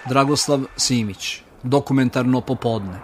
Dragoslav Simić, Dokumentarno popodne.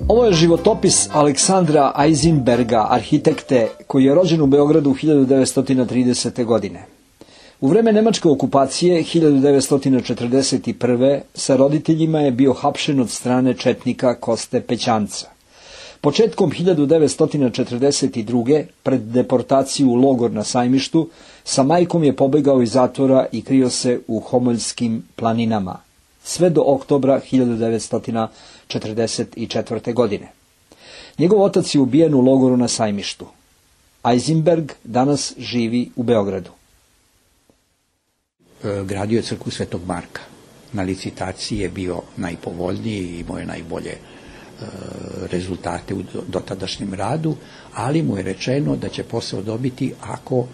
Ovo je životopis Aleksandra Eisenberga, arhitekte, koji je rođen u Beogradu 1930. godine. U vreme nemačke okupacije 1941. sa roditeljima je bio hapšen od strane četnika Koste Pećanca. Početkom 1942. pred deportaciju u logor na Sajmištu, sa majkom je pobegao iz zatvora i krio se u Homoljskim planinama, sve do oktobra 1944. godine. Njegov otac je ubijen u logoru na Sajmištu. Eisenberg danas živi u Beogradu. Gradio je crkvu Svetog Marka. Na licitaciji je bio najpovoljniji i imao je najbolje rezultate u dotadašnjem radu, ali mu je rečeno da će posao dobiti ako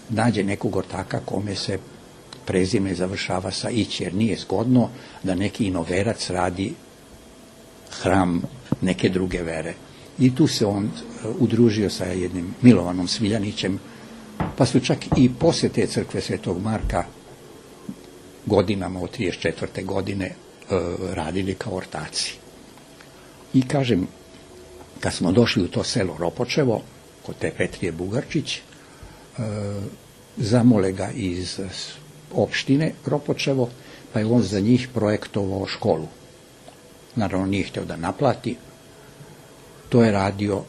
nađe nekog ortaka kome se prezime završava sa ić, jer nije zgodno da neki inoverac radi hram neke druge vere. I tu se on udružio sa jednim Milovanom Sviljanićem, pa su čak i posle te crkve Svetog Marka godinama od 1934. godine radili kao ortaci. I kažem, kad smo došli u to selo Ropočevo, kod te Petrije Bugarčić, zamole ga iz opštine Ropočevo, pa je on za njih projektovao školu. Naravno, nije hteo da naplati, to je radio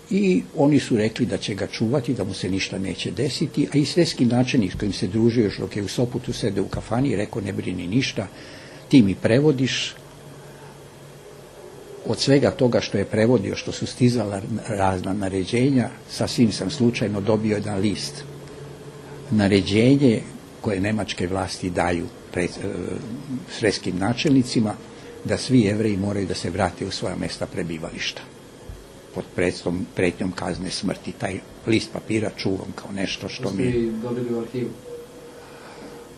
i oni su rekli da će ga čuvati, da mu se ništa neće desiti, a i svetski načelnik s kojim se družio još dok je u Sopotu sede u kafani i rekao, ne brini ništa, ti mi prevodiš. Od svega toga što je prevodio, što su stizala razna naređenja, sasvim sam slučajno dobio jedan list. Naređenje koje nemačke vlasti daju svetskim načelnicima, da svi Jevreji moraju da se vrate u svoja mesta prebivališta. Pod pretnjom kazne smrti. Taj list papira čuvam kao nešto što mi je... Ste dobili u arhivu?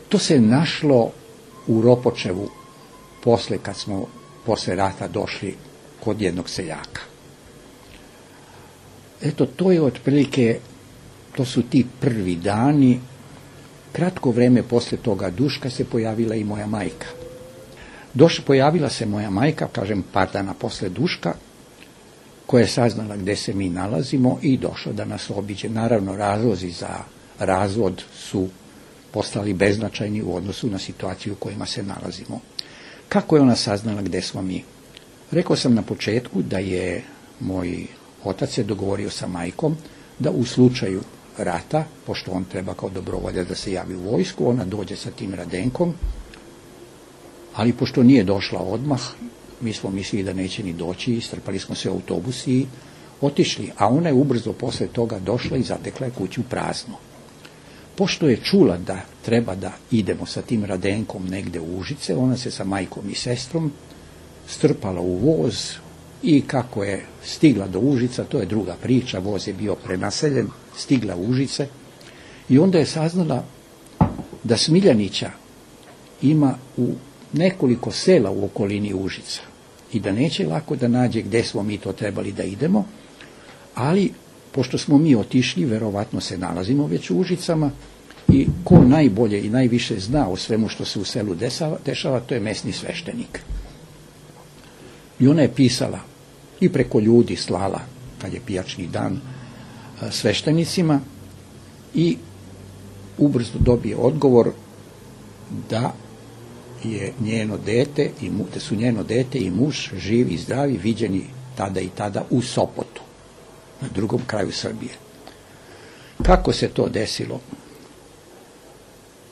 To se našlo u Ropočevu kad smo posle rata došli kod jednog seljaka. Eto, to je otprilike, to su ti prvi dani. Kratko vreme posle toga Duška se pojavila i moja majka. Pojavila se moja majka, kažem par dana posle Duška, koja je saznala gde se mi nalazimo i došla da nas obiđe. Naravno, razlozi za razvod su postali beznačajni u odnosu na situaciju u kojima se nalazimo. Kako je ona saznala gde smo mi? Rekao sam na početku da je moj otac se dogovorio sa majkom da u slučaju rata, pošto on treba kao dobrovoljac da se javi u vojsku, ona dođe sa tim Radenkom, ali pošto nije došla odmah, mi smo mislili da neće ni doći, istrpali smo se u autobus i otišli, a ona je ubrzo posle toga došla i zatekla je kuću prazno. Pošto je čula da treba da idemo sa tim Radenkom negde u Užice, ona se sa majkom i sestrom strpala u voz i kako je stigla do Užica, to je druga priča, voz je bio prenaseljen, stigla u Užice i onda je saznala da Smiljanića ima u nekoliko sela u okolini Užica i da neće lako da nađe gde smo mi to trebali da idemo, ali pošto smo mi otišli, verovatno se nalazimo već u Užicama i ko najbolje i najviše zna o svemu što se u selu dešava, to je mesni sveštenik. I ona je pisala i preko ljudi slala, kad je pijačni dan, sveštenicima i ubrzo dobije odgovor da je njeno dete da su njeno dete i muž živi i zdravi, viđeni tada i tada u Sopotu, na drugom kraju Srbije. Kako se to desilo?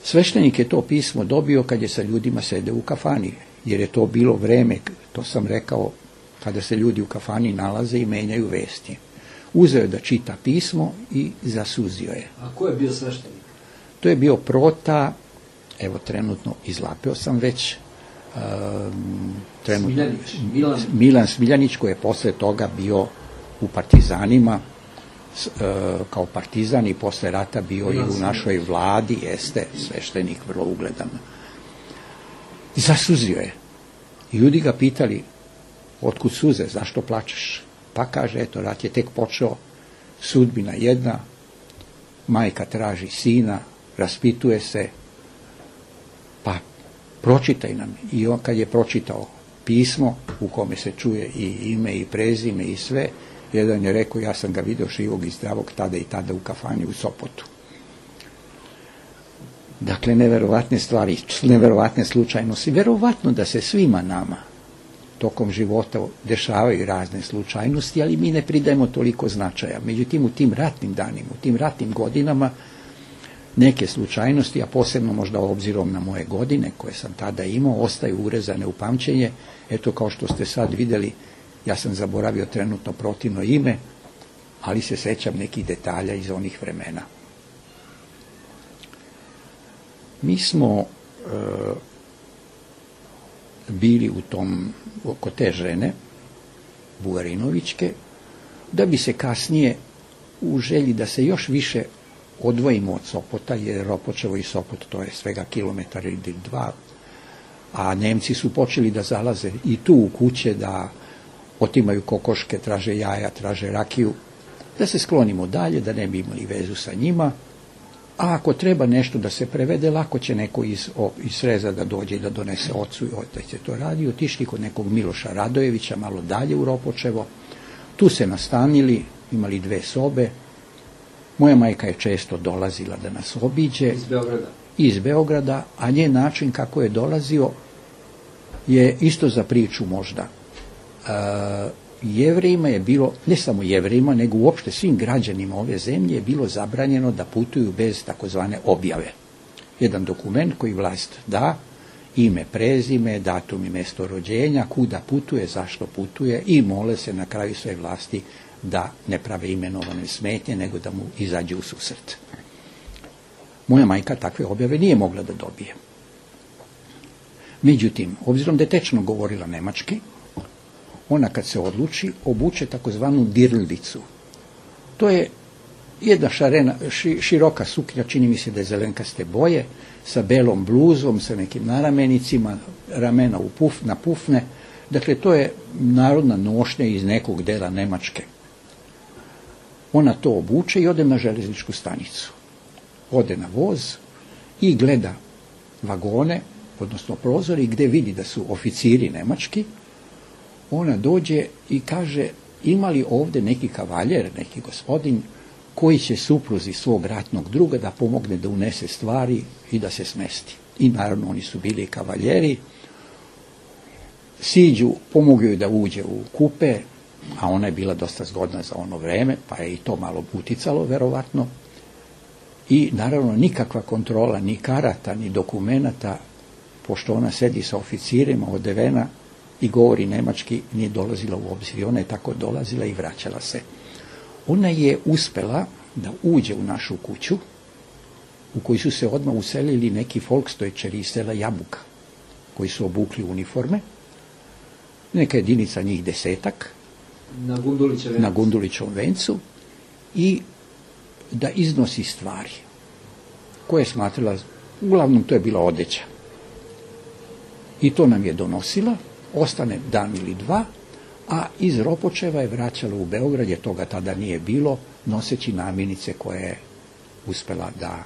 Sveštenik je to pismo dobio kad je sa ljudima sedeo u kafani, jer je to bilo vreme, to sam rekao, kada se ljudi u kafani nalaze i menjaju vesti. Uzeo je da čita pismo i zasuzio je. A ko je bio sveštenik? To je bio Prota, evo trenutno izlapeo sam već, trenutno Milan Smiljanić, koji je posle toga bio u partizanima kao partizan i posle rata bio i u našoj vladi, jeste sveštenik, vrlo ugledan. I zasuzio je. I ljudi ga pitali, otkud suze, zašto plačeš? Pa kaže, eto, rat je tek počeo, sudbina jedna, majka traži sina, raspituje se, pa pročitaj nam. I on kad je pročitao pismo u kome se čuje i ime i prezime i sve, jedan je rekao, ja sam ga vidio živog i zdravog tada i tada u kafani u Sopotu. Dakle, neverovatne stvari, neverovatne slučajnosti. Verovatno da se svima nama tokom života dešavaju razne slučajnosti, ali mi ne pridajemo toliko značaja. Međutim, u tim ratnim danima, u tim ratnim godinama, neke slučajnosti, a posebno možda obzirom na moje godine koje sam tada imao, ostaju urezane u pamćenje. Eto, kao što ste sad vidjeli, ja sam zaboravio trenutno protivno ime, ali se sećam nekih detalja iz onih vremena. Mi smo bili oko te žene, Bugarinovićke, da bi se kasnije u želji da se još više odvojimo od Sopota, jer Ropočevo i Sopot to je svega kilometar ili 2, a Nemci su počeli da zalaze i tu u kuće, da otimaju kokoške, traže jaja, traže rakiju, da se sklonimo dalje, da ne bi imali vezu sa njima, a ako treba nešto da se prevede, lako će neko iz Sreza da dođe i da donese ocu i otac će to radi. Otišli kod nekog Miloša Radojevića, malo dalje u Ropočevo, tu se nastanili, imali 2 sobe. Moja majka je često dolazila da nas obiđe. Iz Beograda, a njen način kako je dolazio je isto za priču možda. Jevrejima je bilo, ne samo Jevrejima, nego uopšte svim građanima ove zemlje je bilo zabranjeno da putuju bez takozvane objave. Jedan dokument koji vlast da, ime, prezime, datum i mesto rođenja, kuda putuje, zašto putuje i mole se na kraju sve vlasti da ne prave imenovane smetnje, nego da mu izađe u susret. Moja majka takve objave nije mogla da dobije. Međutim, obzirom da je tečno govorila nemački, ona kad se odluči, obuče takozvanu dirldicu. To je jedna široka suknja, čini mi se da je zelenkaste boje, sa belom bluzom, sa nekim naramenicima, ramena na pufne. Dakle, to je narodna nošnja iz nekog dela Nemačke. Ona to obuče i ode na železničku stanicu. Ode na voz i gleda vagone, odnosno prozori, gde vidi da su oficiri nemački. Ona dođe i kaže, ima li ovde neki kavaljer, neki gospodin, koji će supruzi svog ratnog druga da pomogne da unese stvari i da se smesti. I naravno oni su bili kavaljeri, siđu, pomogli joj da uđe u kupe, a ona je bila dosta zgodna za ono vreme, pa je i to malo uticalo, verovatno. I naravno nikakva kontrola, ni karata, ni dokumenata, pošto ona sedi sa oficirima odevena i govori nemački, nije dolazila u obzir. Ona je tako dolazila i vraćala se. Ona je uspela da uđe u našu kuću, u kojoj su se odmah uselili neki folkstojčeri iz sela Jabuka, koji su obukli uniforme, neka jedinica njih 10 na Gundulićevom vencu, i da iznosi stvari koje je smatrala, uglavnom to je bila odeća. I to nam je donosila, ostane dan ili 2, a iz Ropočeva je vraćala u Beograd, jer toga tada nije bilo, noseći namirnice koje je uspela da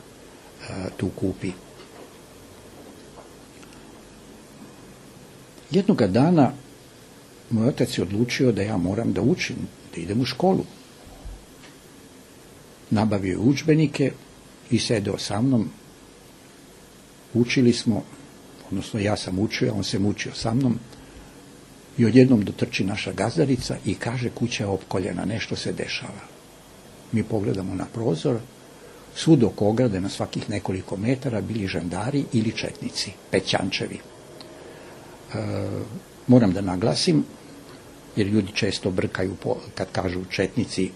tu kupi. Jednoga dana moj otac je odlučio da ja moram da učim, da idem u školu. Nabavio je udžbenike i sedeo sa mnom. Učili smo, odnosno ja sam učio, on se mučio sa mnom, i odjednom dotrči naša gazdarica i kaže, kuća je opkoljena, nešto se dešava. Mi pogledamo na prozor, svud oko ograde na svakih nekoliko metara bili žandari ili četnici, pećančevi. Moram da naglasim, jer ljudi često brkaju kad kažu četnici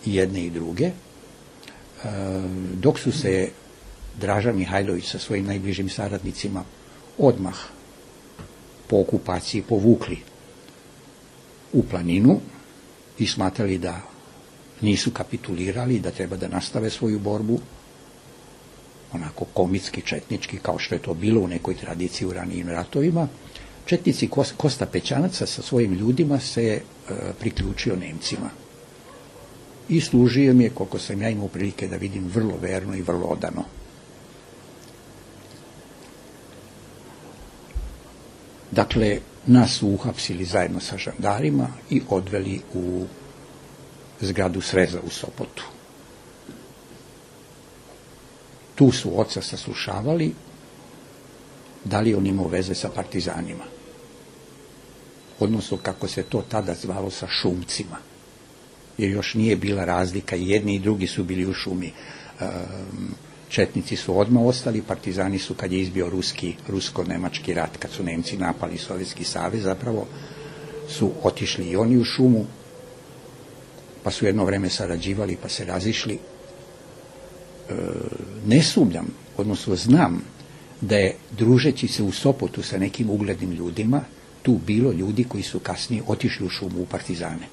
i jedne i druge, dok su se Draža Mihajlović sa svojim najbližim saradnicima odmah po okupaciji povukli u planinu i smatrali da nisu kapitulirali, da treba da nastave svoju borbu, onako komitski, četnički, kao što je to bilo u nekoj tradiciji u ranijim ratovima. Četnici Kosta Pećanaca sa svojim ljudima se priključio Nemcima. I služio mi je, koliko sam ja imao prilike da vidim, vrlo verno i vrlo odano. Dakle, nas su uhapsili zajedno sa žandarima i odveli u zgradu Sreza u Sopotu. Tu su oca saslušavali, da li on imao veze sa partizanima. Odnosno, kako se to tada zvalo, sa šumcima. Jer još nije bila razlika, jedni i drugi su bili u šumi. Četnici su odmah ostali, partizani su, kad je izbio rusko-nemački rat, kad su Nemci napali Sovjetski savez, zapravo su otišli i oni u šumu, pa su jedno vreme sarađivali, pa se razišli. Ne sumnjam, odnosno znam, da je, družeći se u Sopotu sa nekim uglednim ljudima, tu bilo ljudi koji su kasnije otišli u šumu u partizane.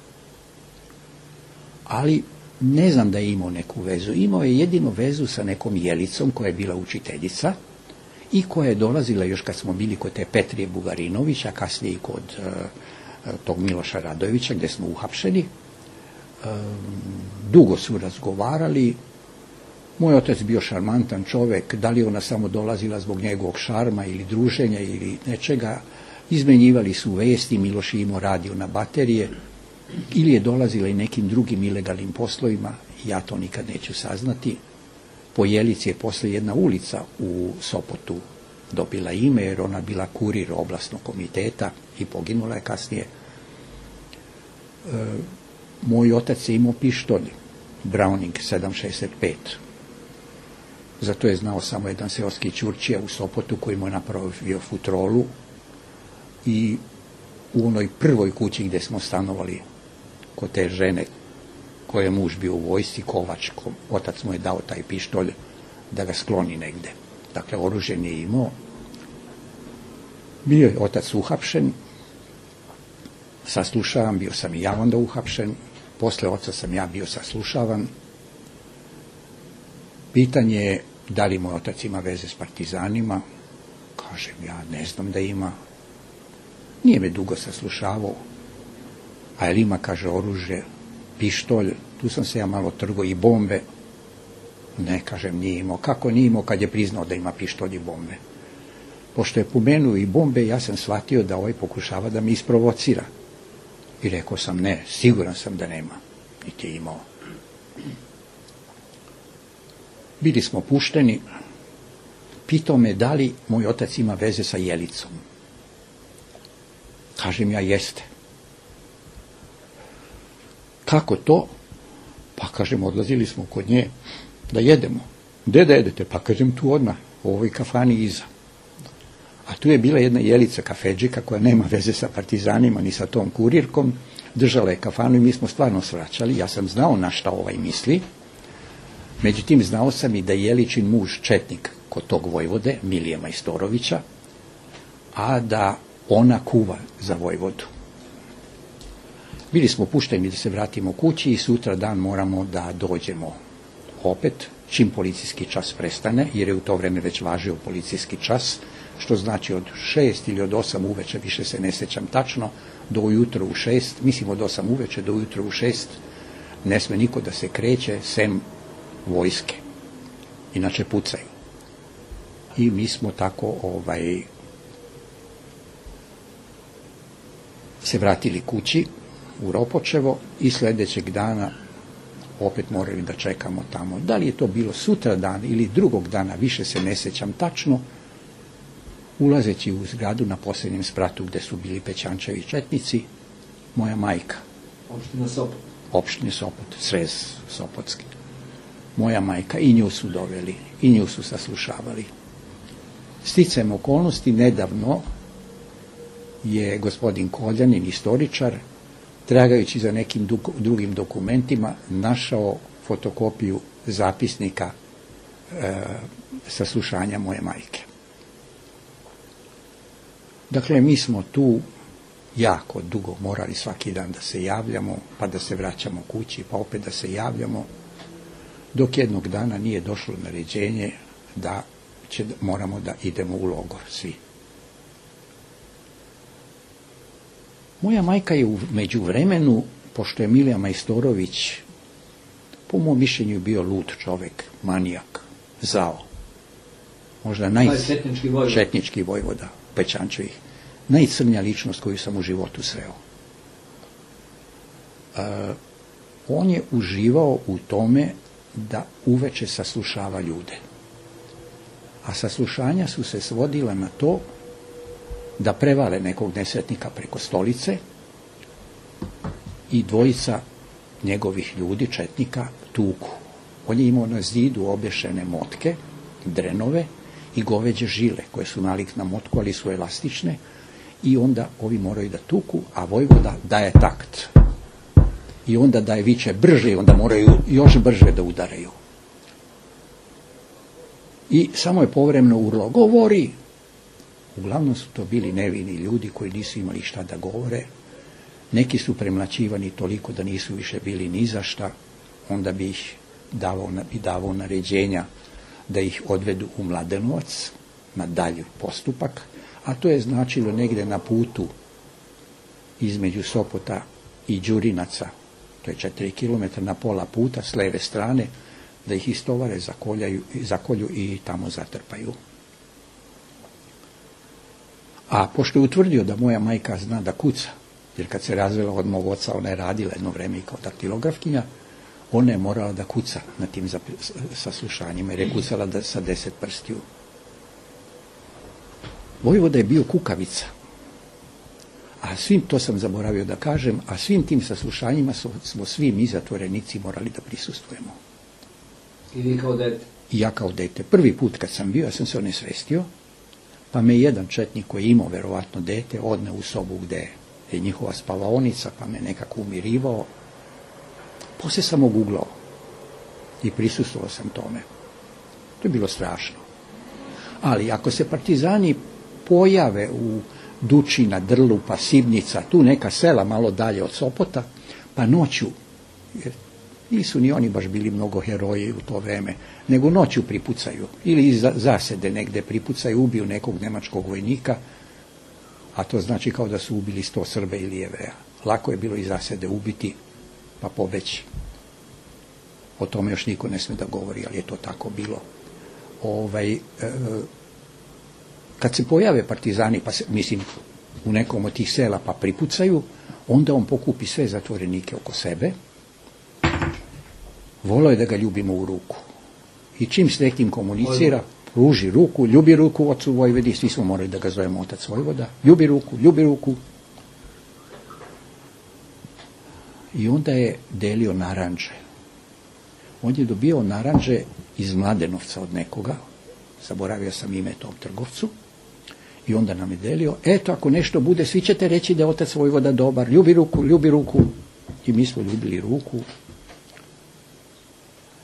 Ali ne znam da je imao neku vezu. Imao je jedino vezu sa nekom Jelicom koja je bila učiteljica i koja je dolazila još kad smo bili kod te Petrije Bugarinovića, kasnije i kod tog Miloša Radojevića gdje smo uhapšeni. Dugo su razgovarali. Moj otac bio šarmantan čovjek, da li ona samo dolazila zbog njegovog šarma ili druženja ili nečega. Izmenjivali su vesti, Miloš je imao radio na baterije, ili je dolazila i nekim drugim ilegalnim poslovima, ja to nikad neću saznati. Po Jelici je posle jedna ulica u Sopotu dobila ime, jer ona bila kurir oblastnog komiteta i poginula je kasnije. Moj otac je imao pištolj, Browning 7.65. Zato je znao samo jedan seoski Ćurčija u Sopotu koji mu je napravio futrolu i u onoj prvoj kući gdje smo stanovali kod te žene koje je muž bio u vojsci, Kovač, otac mu je dao taj pištolj da ga skloni negde. Dakle, oružje nije imao. Bio je otac uhapšen, saslušavan, bio sam i ja onda uhapšen, posle oca sam ja bio saslušavan. Pitanje je da li moj otac ima veze s partizanima. Kažem, ja ne znam da ima. Nije me dugo saslušavao. A jel ima, kaže, oružje, pištolj, tu sam se ja malo trgo, i bombe. Ne, kažem, nije imao. Kako nije imao kad je priznao da ima pištolj i bombe? Pošto je pomenuo i bombe, ja sam shvatio da ovaj pokušava da me isprovocira. I rekao sam, ne, siguran sam da nema. Niti je imao. Bili smo pušteni. Pitao me da li moj otac ima veze sa Jelicom. Kažem ja, jeste. Kako to? Pa kažem, odlazili smo kod nje da jedemo. Gde da jedete? Pa kažem, tu odmah, u ovoj kafani iza. A tu je bila jedna Jelica kafedžika koja nema veze sa partizanima ni sa tom kurirkom. Držala je kafanu i mi smo stvarno svraćali. Ja sam znao na šta ovaj misli. Međutim, znao sam i da je Jeličin muž četnik kod tog vojvode, Milije Majstorovića, a da ona kuva za vojvodu. Bili smo pušteni da se vratimo kući i sutra dan moramo da dođemo opet, čim policijski čas prestane, jer je u to vreme već važio policijski čas, što znači od 6 ili od 8 uveče, više se ne sjećam tačno, do ujutro u 6, mislim od 8 uveče do ujutro u 6, ne sme niko da se kreće, sem vojske. Inače pucaju. I mi smo tako se vratili kući u Ropočevo i sljedećeg dana opet morali da čekamo tamo. Da li je to bilo sutra dan ili drugog dana, više se ne sjećam tačno, ulazeći u zgradu na posljednjem spratu gdje su bili Pećančevi četnici, moja majka. Opština Sopot. Opštine Sopot, Srez Sopotski. Moja majka, i nju su doveli, i nju su saslušavali. Sticajem okolnosti, nedavno je gospodin Koljanin, istoričar, tragajući za nekim drugim dokumentima, našao fotokopiju zapisnika saslušanja moje majke. Dakle, mi smo tu jako dugo morali svaki dan da se javljamo, pa da se vraćamo kući, pa opet da se javljamo, dok jednog dana nije došlo naređenje da moramo da idemo u logor svi. Moja majka je u međuvremenu, pošto je Milija Majstorović, po mom mišljenju bio lud čovjek, manijak, zao, možda četnički vojvoda Pečančevih, najcrnja ličnost koju sam u životu sreo. On je uživao u tome da uveče saslušava ljude. A saslušanja su se svodila na to da prevale nekog nesretnika preko stolice i dvojica njegovih ljudi, četnika, tuku. On je imao na zidu obješene motke, drenove i goveđe žile koje su nalik na motku, ali su elastične, i onda ovi moraju da tuku, a vojvoda daje takt. I onda daje viče brže i onda moraju još brže da udaraju. I samo je povremeno urlo, govori! Uglavnom su to bili nevini ljudi koji nisu imali šta da govore. Neki su premlaćivani toliko da nisu više bili ni za šta, onda bi ih davao naređenja da ih odvedu u Mladenovac na dalji postupak, a to je značilo negdje na putu između Sopota i Đurinaca, to je 4 km na pola puta s leve strane, da ih istovare, zakolju i tamo zatrpaju. A pošto je utvrdio da moja majka zna da kuca, jer kad se razvela od mog oca, ona je radila jedno vreme kao daktilografkinja, ona je morala da kuca na tim saslušanjima, jer je kucala sa 10 prstiju. Vojvoda je bio kukavica. A svim, to sam zaboravio da kažem, a svim tim saslušanjima smo svi mi zatvorenici morali da prisustvujemo. I vi kao dete? I ja kao dete. Prvi put kad sam bio, ja sam se onesvestio, pa me jedan četnik koji je imao verovatno dete odne u sobu gde je njihova spavaonica, pa me nekako umirivao. Poslije sam oguglao i prisustvovao sam tome. To je bilo strašno. Ali ako se partizani pojave u Dučina, Drlupa, Sibnica, tu neka sela malo dalje od Sopota, pa noću, jer nisu ni oni baš bili mnogo heroji u to vreme, nego noću pripucaju ili iz zasede negde pripucaju, ubiju nekog nemačkog vojnika, a to znači kao da su ubili 100 Srbe ili Jevreja. Lako je bilo iz zasede ubiti pa pobeći. O tome još niko ne sme da govori, ali je to tako bilo. Kad se pojave partizani, pa mislim u nekom od tih sela pa pripucaju, onda on pokupi sve zatvorenike oko sebe. Volao je da ga ljubimo u ruku. I čim s nekim komunicira, pruži ruku, ljubi ruku ocu Vojvodi, svi smo morali da ga zovemo otac Vojvoda, ljubi ruku. I onda je delio naranđe. On je dobio naranđe iz Mladenovca od nekoga, zaboravio sam ime tom trgovcu, i onda nam je delio, eto ako nešto bude, svi ćete reći da je otac Vojvoda dobar, ljubi ruku, i mi smo ljubili ruku.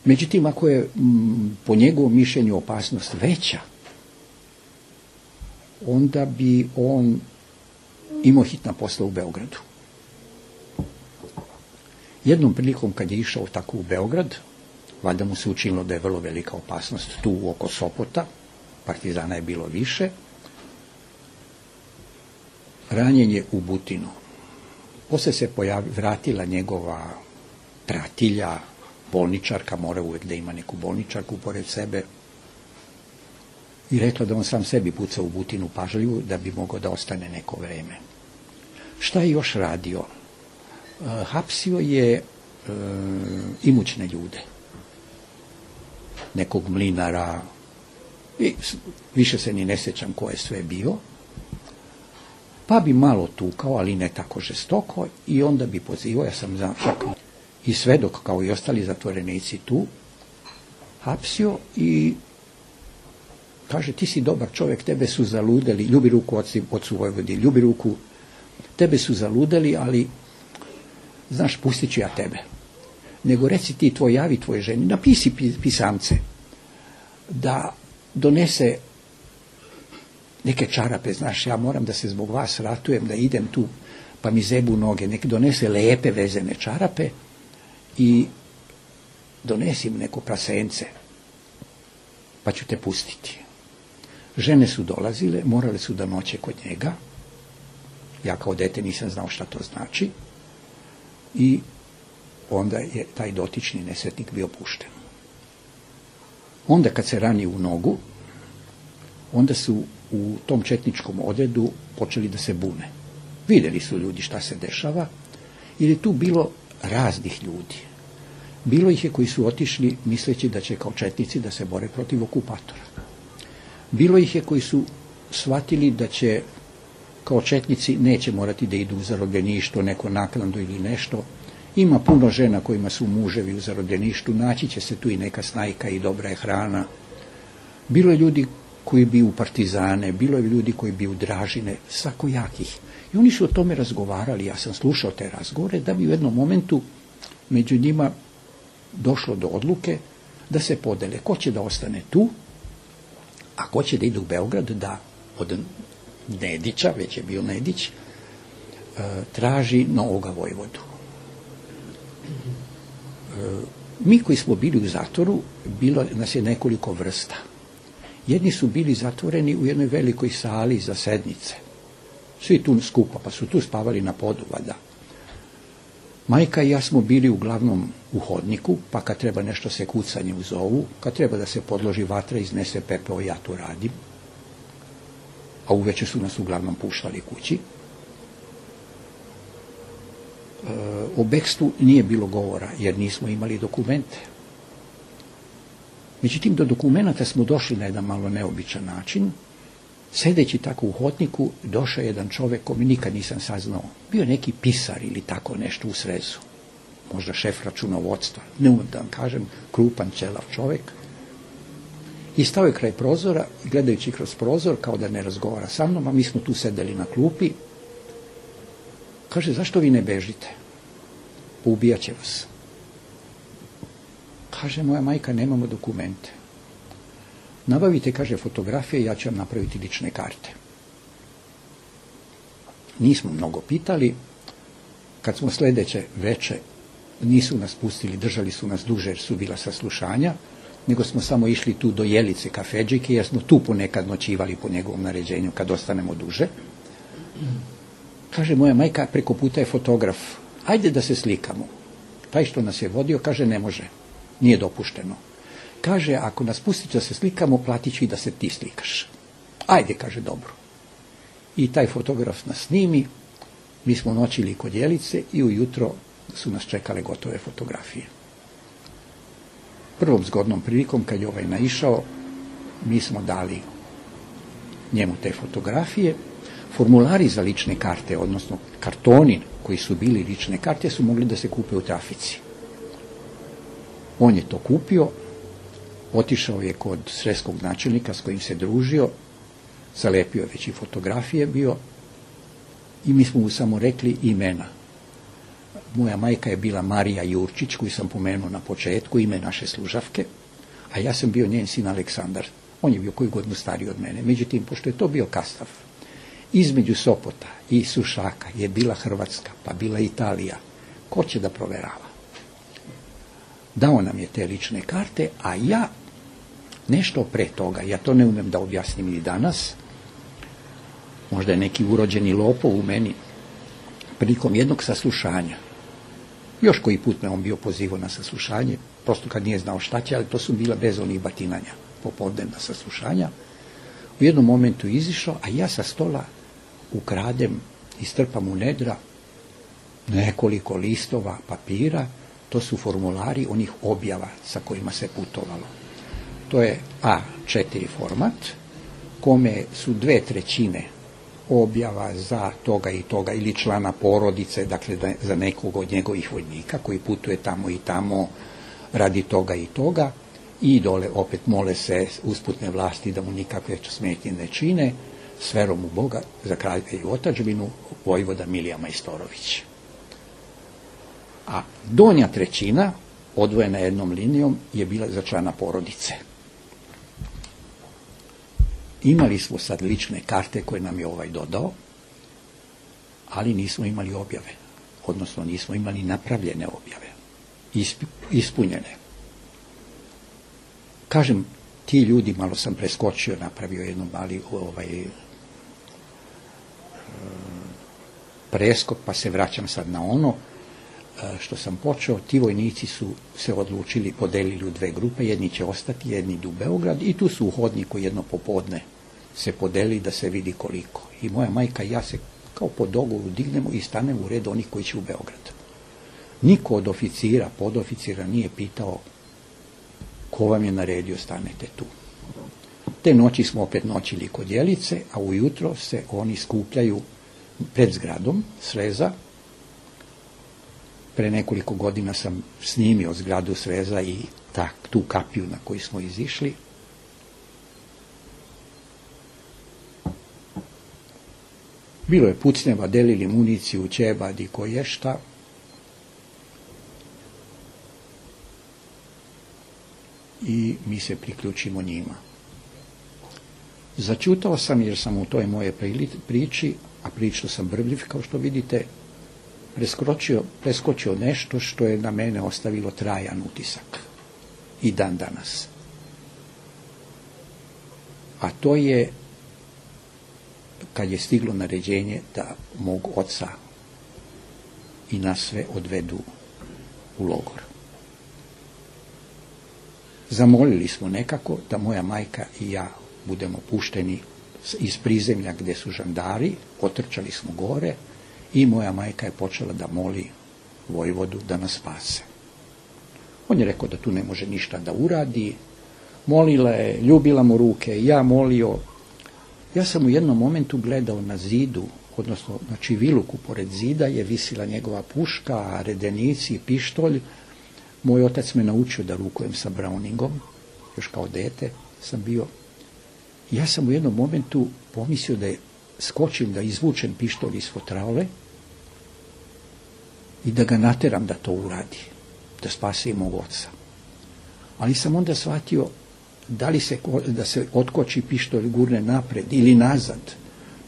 Međutim, ako je po njegovom mišljenju opasnost veća, onda bi on imao hitna posla u Beogradu. Jednom prilikom kad je išao tako u Beograd, valjda mu se učinilo da je vrlo velika opasnost tu oko Sopota, partizana je bilo više, ranjen je u Butinu. Posle se vratila njegova pratilja, bolničarka, mora uvek da ima neku bolničarku pored sebe, i rekla da on sam sebi puca u Butinu pažljivu da bi mogao da ostane neko vreme. Šta je još radio? Hapsio je imućne ljude, nekog mlinara, i više se ni ne sjećam ko je sve bio, pa bi malo tukao, ali ne tako žestoko, i onda bi pozivao, ja sam čak i svedok kao i ostali zatvorenici tu, hapsio i kaže, ti si dobar čovjek, tebe su zaludeli, ljubi ruku ocu Vojvodi, ljubi ruku, tebe su zaludeli, ali znaš, pustit ću ja tebe. Nego reci ti javi tvoje ženi, napisi pisamce, da donese neke čarape, znaš, ja moram da se zbog vas ratujem, da idem tu, pa mi zebu noge, nek donese lepe vezene čarape i donesim neko prasence, pa ću te pustiti. Žene su dolazile, morale su da noće kod njega, ja kao dete nisam znao šta to znači, i onda je taj dotični nesretnik bio pušten. Onda kad se rani u nogu, onda su u tom četničkom odredu počeli da se bune. Vidjeli su ljudi šta se dešava, jer je tu bilo raznih ljudi. Bilo ih je koji su otišli misleći da će kao četnici da se bore protiv okupatora. Bilo ih je koji su shvatili da će kao četnici neće morati da idu u zarobljeništvo, neko naknadu ili nešto. Ima puno žena kojima su muževi u zarobljeništu, naći će se tu i neka snajka i dobra je hrana. Bilo je ljudi koji bi u partizane, bilo je ljudi koji bi u Dražine, svakojakih. I oni su o tome razgovarali, ja sam slušao te razgovore, da bi u jednom momentu među njima došlo do odluke da se podele ko će da ostane tu, a ko će da ide u Beograd, da od Nedića, već je bio Nedić, traži novoga vojvodu. Mi koji smo bili u zatvoru, bilo nas je nekoliko vrsta. Jedni su bili zatvoreni u jednoj velikoj sali za sednice. Svi tu skupa, pa su tu spavali na podu, valjda. Majka i ja smo bili uglavnom u hodniku, pa kad treba nešto se kucanje uzovu, kad treba da se podloži vatra, iznese pepeo, ja to radim. A uveče su nas uglavnom puštali kući. O bekstvu nije bilo govora, jer nismo imali dokumente. Međutim, do dokumenta smo došli na jedan malo neobičan način. Sedeći tako u hodniku, došao jedan čovek koji nikad nisam saznao. Bio neki pisar ili tako nešto u srezu. Možda šef računovodstva. Ne umem da vam kažem, krupan, ćelav čovek. I stao je kraj prozora, gledajući kroz prozor, kao da ne razgovara sa mnom, a mi smo tu sedeli na klupi. Kaže, zašto vi ne bežite? Poubijat će vas. Kaže, moja majka, nemamo dokumente. Nabavite, kaže, fotografije, ja ću vam napraviti lične karte. Nismo mnogo pitali. Kad smo sledeće veče, nisu nas pustili, držali su nas duže jer su bila saslušanja, nego smo samo išli tu do Jelice kafedžike, jer smo tu ponekad noćivali po njegovom naređenju kad ostanemo duže. Kaže, moja majka, preko puta je fotograf, ajde da se slikamo. Taj što nas je vodio, kaže, ne može, nije dopušteno. Kaže, ako nas pustite da se slikamo, platit ću i da se ti slikaš. Ajde, kaže, dobro. I taj fotograf nas snimi, mi smo noćili kod Jelice i ujutro su nas čekale gotove fotografije. Prvom zgodnom prilikom, kad je ovaj naišao, mi smo dali njemu te fotografije. Formulari za lične karte, odnosno kartoni koji su bili lične karte, su mogli da se kupe u trafici. On je to kupio, otišao je kod sreskog načelnika s kojim se družio, zalepio je već i fotografije bio i mi smo mu samo rekli imena. Moja majka je bila Marija Jurčić, koju sam pomenuo na početku, ime naše služavke, a ja sam bio njen sin Aleksandar. On je bio koju godinu stariji od mene. Međutim, pošto je to bio Kastav, između Sopota i Sušaka je bila Hrvatska, pa bila Italija. Ko će da proverava? Dao nam je te lične karte, a ja nešto pre toga, ja to ne umem da objasnim ni danas, možda je neki urođeni lopov u meni, prilikom jednog saslušanja, još koji put me on bio pozivao na saslušanje, prosto kad nije znao šta će, ali to su bila bez onih batinanja, popodnevna saslušanja, u jednom momentu izišao, a ja sa stola ukradem, istrpam u nedra nekoliko listova papira, to su formulari onih objava sa kojima se putovalo. To je A4 format, kome su 2/3 objava za toga i toga ili člana porodice, dakle za nekog od njegovih vojnika koji putuje tamo i tamo radi toga i toga, i dole opet mole se usputne vlasti da mu nikakve smetnje ne čine, s verom u Boga, za kralja i otadžbinu, vojvoda Milija Majstorović. A donja trećina, odvojena jednom linijom, je bila za člana porodice. Imali smo sad lične karte koje nam je ovaj dodao, ali nismo imali objave. Odnosno nismo imali napravljene objave. Ispunjene. Kažem, ti ljudi, malo sam preskočio, napravio jednu mali preskok, pa se vraćam sad na ono što sam počeo. Ti vojnici su se odlučili, podelili u dve grupe, jedni će ostati, jedni idu u Beograd i tu su u hodniku jedno popodne se podeli da se vidi koliko. I moja majka i ja se kao po dogovoru dignemo i stanemo u red onih koji će u Beograd. Niko od oficira, podoficira nije pitao ko vam je naredio stanete tu. Te noći smo opet noćili kod Jelice, a ujutro se oni skupljaju pred zgradom Sreza. Pre nekoliko godina sam snimio zgradu Sreza i tu kapiju na koju smo izišli. Bilo je pucnjeva, delili municiju, ćebad i koje šta. I mi se priključimo njima. Začutao sam jer sam u toj moje priči, a pričao sam brbljiv kao što vidite, preskočio nešto što je na mene ostavilo trajan utisak. I dan danas. A to je kad je stiglo naređenje da mog oca i nas sve odvedu u logor. Zamolili smo nekako da moja majka i ja budemo pušteni iz prizemlja gdje su žandari, otrčali smo gore i moja majka je počela da moli vojvodu da nas spase. On je rekao da tu ne može ništa da uradi, molila je, ljubila mu ruke, ja molio. Ja sam u jednom momentu gledao na zidu, odnosno na čiviluku pored zida je visila njegova puška, redenici, pištolj. Moj otac me naučio da rukujem sa Browningom, još kao dete sam bio. Ja sam u jednom momentu pomislio da skočim, da izvučem pištolj iz fotraule i da ga nateram da to uradi, da spase i mog oca. Ali sam onda shvatio da se otkoči pištolj, gurne napred ili nazad,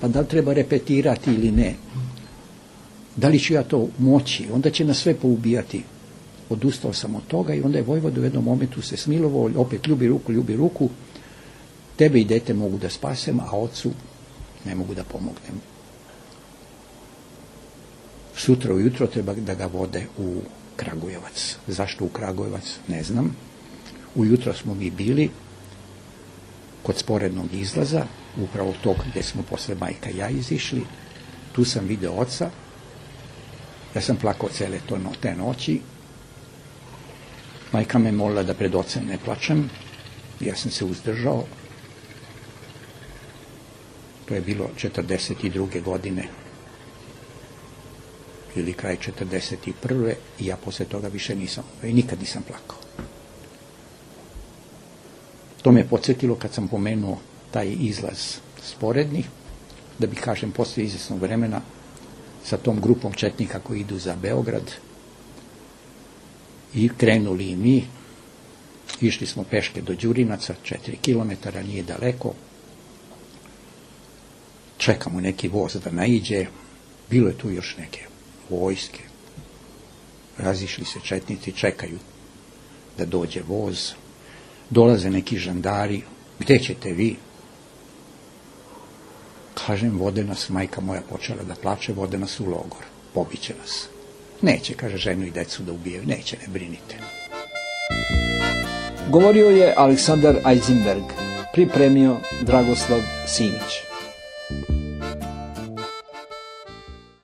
pa da li treba repetirati ili ne. Da li ću ja to moći, onda će nas sve poubijati. Odustao sam od toga i onda je vojvoda u jednom momentu se smilovao, opet ljubi ruku, tebe i dete mogu da spasem, a ocu ne mogu da pomognem. Sutra ujutro treba da ga vode u Kragujevac. Zašto u Kragujevac? Ne znam. Ujutro smo mi bili kod sporednog izlaza, upravo tog gdje smo posle majka i ja izišli. Tu sam video oca. Ja sam plakao cele te noći. Majka me molila da pred ocem ne plačem. Ja sam se uzdržao. To je bilo 42. godine ili kraj 41. i ja posle toga više nikad nisam plakao. To me podsjetilo kad sam pomenuo taj izlaz sporedni, da bi kažem poslije izvjesnog vremena sa tom grupom četnika koji idu za Beograd i krenuli i mi. Išli smo peške do Đurinaca, 4 kilometara, nije daleko. Čekamo neki voz da naiđe. Bilo je tu još neke vojske. Razišli se četnici, čekaju da dođe voz. Dolaze neki žandari. Gde ćete vi? Kažem, vode nas, majka moja počela da plače, vode nas u logor. Pobiće nas. Neće, kaže, ženu i decu da ubijaju. Neće, ne brinite. Govorio je Aleksandar Eisenberg, pripremio Dragoslav Simić.